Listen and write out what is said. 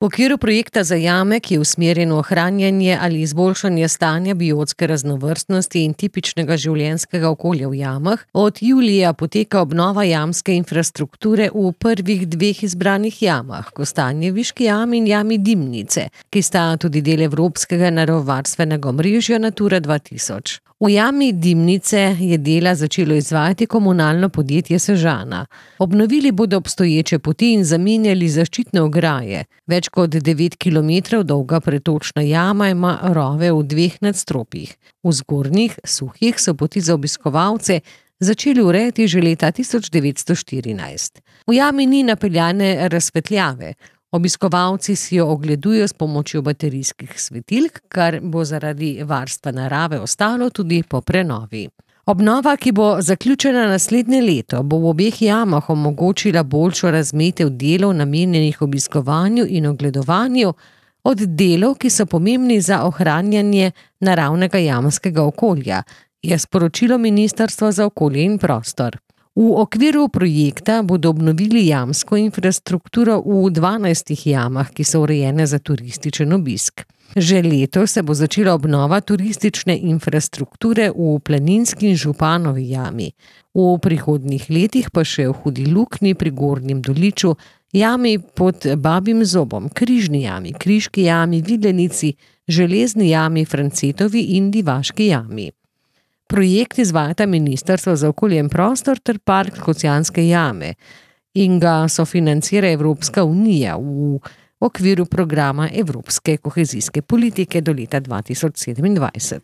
V okviru projekta za jame, ki je usmerjen v ohranjanje ali izboljšanje stanja biotske raznovrstnosti in tipičnega življenjskega okolja v jamah, od julija poteka obnova jamske infrastrukture v prvih dveh izbranih jamah, Kostanjeviški jami in jami Dimnice, ki sta tudi del evropskega naravovarstvenega omrežja Natura 2000. V jami Dimnice je dela začelo izvajati komunalno podjetje Sežana. Obnovili bodo obstoječe poti in zamenjali zaščitne ograje. Več kot 9 kilometrov dolga pretočna jama ima rove v dveh nadstropjih. V zgornjih, suhih so poti za obiskovalce začeli urejati že leta 1914. V jami ni napeljane razsvetljave. Obiskovalci si jo ogledujejo s pomočjo baterijskih svetilk, kar bo zaradi varstva narave ostalo tudi po prenovi. Obnova, ki bo zaključena naslednje leto, bo v obeh jamah omogočila boljšo razmetev delov namenjenih obiskovanju in ogledovanju od delov, ki so pomembni za ohranjanje naravnega jamskega okolja, je sporočilo Ministrstvo za okolje in prostor. V okviru projekta bodo obnovili jamsko infrastrukturo v 12 jamah, ki so urejene za turističen obisk. Že letos se bo začela obnova turistične infrastrukture v Planinski in Županovi jami. V prihodnjih letih pa še v Hudi Luknji pri Gornjem Doliču, jami pod Babjim zobom, Križni jami, Kriški jami, Videnici, Železni jami, Francetovi in Divaški jami. Projekt izvajata Ministrstvo za okolje in prostor ter Park Škocjanske jame in ga sofinancira Evropska unija v okviru programa Evropske kohezijske politike do leta 2027.